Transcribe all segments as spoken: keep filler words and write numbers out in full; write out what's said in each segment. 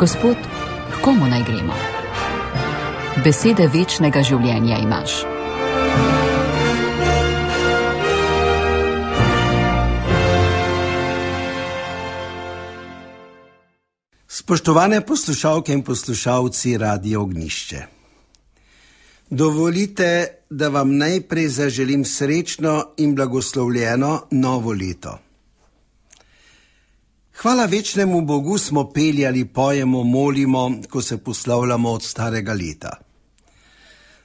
Gospod, h komu naj gremo? Besede večnega življenja imaš. Spoštovane poslušalke in poslušalci Radia Ognjišče. Dovolite, da vam najprej zaželim srečno in blagoslovljeno novo leto. Hvala večnemu Bogu smo peljali, pojemo, molimo, ko se poslavljamo od starega leta.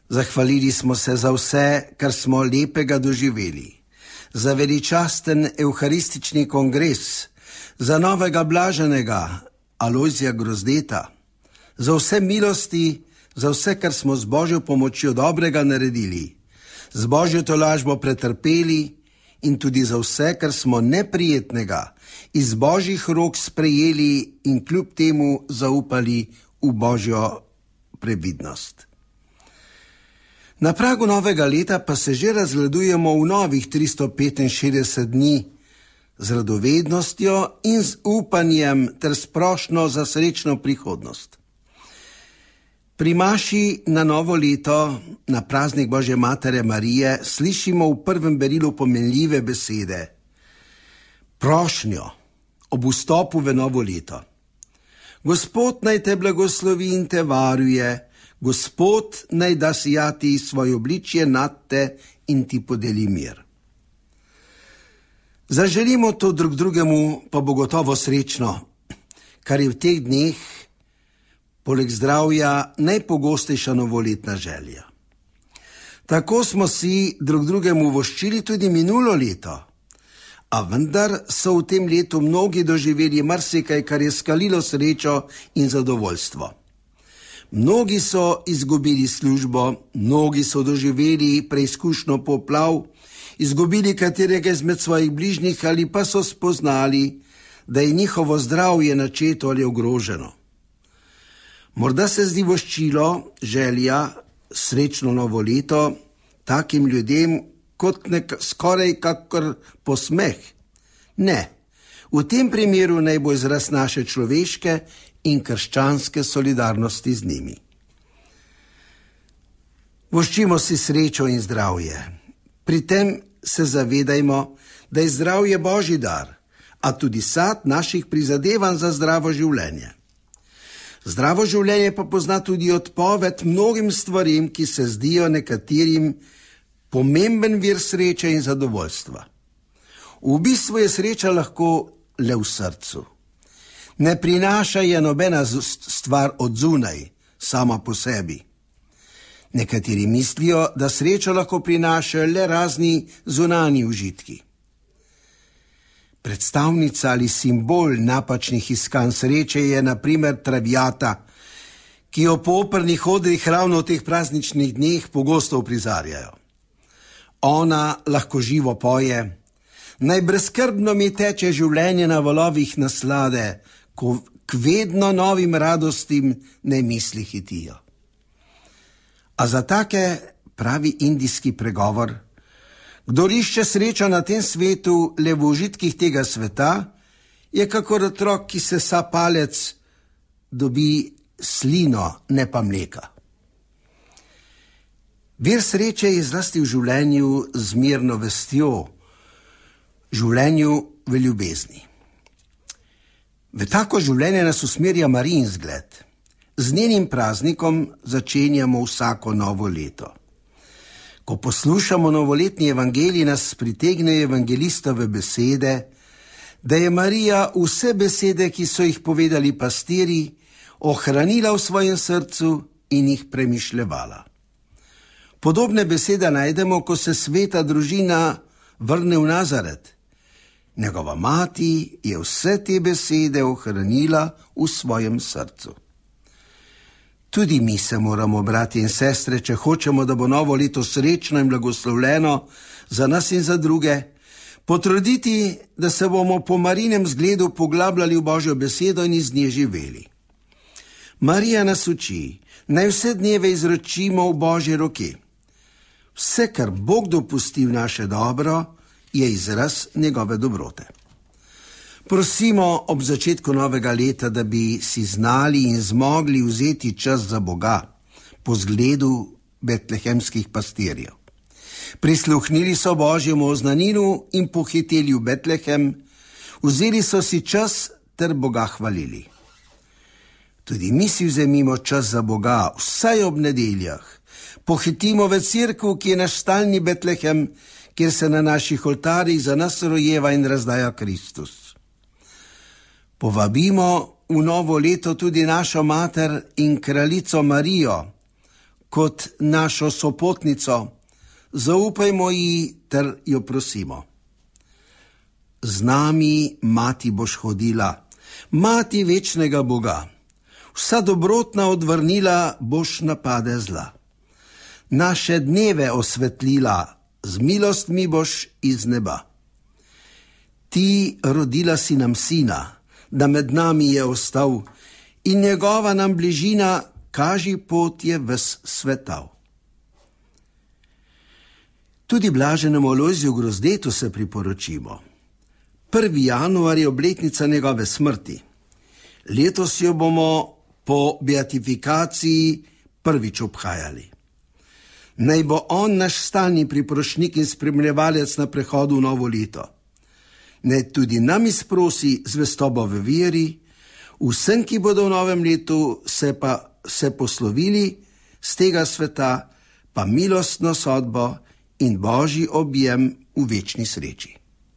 Zahvalili smo se za vse, kar smo lepega doživeli, za veličasten evharistični kongres, za novega blaženega Alojzija Grozdeta, za vse milosti, za vse, kar smo z Božjo pomočjo dobrega naredili, z Božjo tolažbo pretrpeli in tudi za vse, kar smo neprijetnega iz Božjih rok sprejeli in kljub temu zaupali v Božjo previdnost. Na pragu novega leta pa se že razgledujemo v novih tristo petinšestdeset dni z radovednostjo in z upanjem ter sprošno za srečno prihodnost. Pri maši na novo leto, na praznik Božje Matere Marije, slišimo v prvem berilu pomenljive besede, prošnjo ob vstopu v novo leto. Gospod naj te blagoslovi in te varuje, Gospod naj da sijati svoje obličje nad te in ti podeli mir. Zaželimo to drug drugemu, pa bo gotovo srečno, kar je v teh dneh poleg zdravja najpogostejša novoletna želja. Tako smo si drug drugemu voščili tudi minulo leto, a vendar so v tem letu mnogi doživeli marsikaj, kar je skalilo srečo in zadovoljstvo. Mnogi so izgubili službo, mnogi so doživeli preizkušnjo poplav, izgubili katerega izmed svojih bližnjih ali pa so spoznali, da je njihovo zdravje načeto ali ogroženo. Morda se zdi voščilo, želja, srečno novo leto takim ljudem kot nek, skoraj kakor posmeh. Ne, v tem primeru naj bo izraz naše človeške in krščanske solidarnosti z njimi. Voščimo si srečo in zdravje. Pri tem se zavedajmo, da je zdravje Božji dar, a tudi sad naših prizadevanj za zdravo življenje. Zdravo življenje pa pozna tudi odpoved mnogim stvarim, ki se zdijo nekaterim pomemben vir sreče in zadovoljstva. V bistvu je sreča lahko le v srcu. Ne prinaša je nobena stvar od zunaj, sama po sebi. Nekateri mislijo, da srečo lahko prinašajo le razni zunanji užitki. Predstavnica ali simbol napačnih iskanj sreče je na primer traviata, ki jo po opernih odrih ravno v teh prazničnih dneh pogosto uprizarjajo. Ona lahko živo poje, naj brezskrbno mi teče življenje na valovih naslade, ko k vedno novim radostim ne misli hitijo. A za take pravi indijski pregovor, kdor išče srečo na tem svetu le v užitkih tega sveta, je kakor otrok, ki se sa palec, dobi slino, ne pa mleka. Vir sreče je zlasti v življenju z mirno vestjo, življenju v ljubezni. V tako življenje nas usmerja Marijin zgled. Z njenim praznikom začenjamo vsako novo leto. Ko poslušamo novoletni evangelij, nas pritegnejo evangelistove besede, da je Marija vse besede, ki so jih povedali pastirji, ohranila v svojem srcu in jih premišljevala. Podobne besede najdemo, ko se sveta družina vrne v Nazaret. Njegova mati je vse te besede ohranila v svojem srcu. Tudi mi se moramo, bratje in sestre, če hočemo, da bo novo leto srečno in blagoslovljeno za nas in za druge, potruditi, da se bomo po Marijinem zgledu poglabljali v Božjo besedo in iz nje živeli. Marija nas uči, naj vse dneve izročimo v Božje roke. Vse, kar Bog dopusti v naše dobro, je izraz njegove dobrote. Prosimo ob začetku novega leta, da bi si znali in zmogli vzeti čas za Boga po zgledu betlehemskih pastirjev. Prisluhnili so Božjemu oznaninu in pohiteli v Betlehem, vzeli so si čas ter Boga hvalili. Tudi mi si vzemimo čas za Boga, vsaj ob nedeljah. Pohitimo v cerkev, ki je naš stalni Betlehem, kjer se na naših oltarjih za nas rojeva in razdaja Kristus. Povabimo v novo leto tudi našo mater in kraljico Marijo kot našo sopotnico. Zaupajmo ji ter jo prosimo. Z nami, mati, boš hodila, mati večnega Boga. Vsa dobrotna odvrnila, boš napade zla. Naše dneve osvetlila, z milostmi boš iz neba. Ti rodila si nam sina, da med nami je ostal, in njegova nam bližina kaži pot je ves svetav. Tudi blaženemu Alojziju Grozdetu se priporočimo. prvi januar je obletnica njegove smrti. Letos jo bomo po beatifikaciji prvič obhajali. Naj bo on naš stalni priprošnik in spremljevalec na prehodu v novo leto. Naj tudi nam izprosi zvestobo v veri, vsem, ki bodo v novem letu se pa se poslovili z tega sveta, pa milostno sodbo in Božji objem v večni sreči.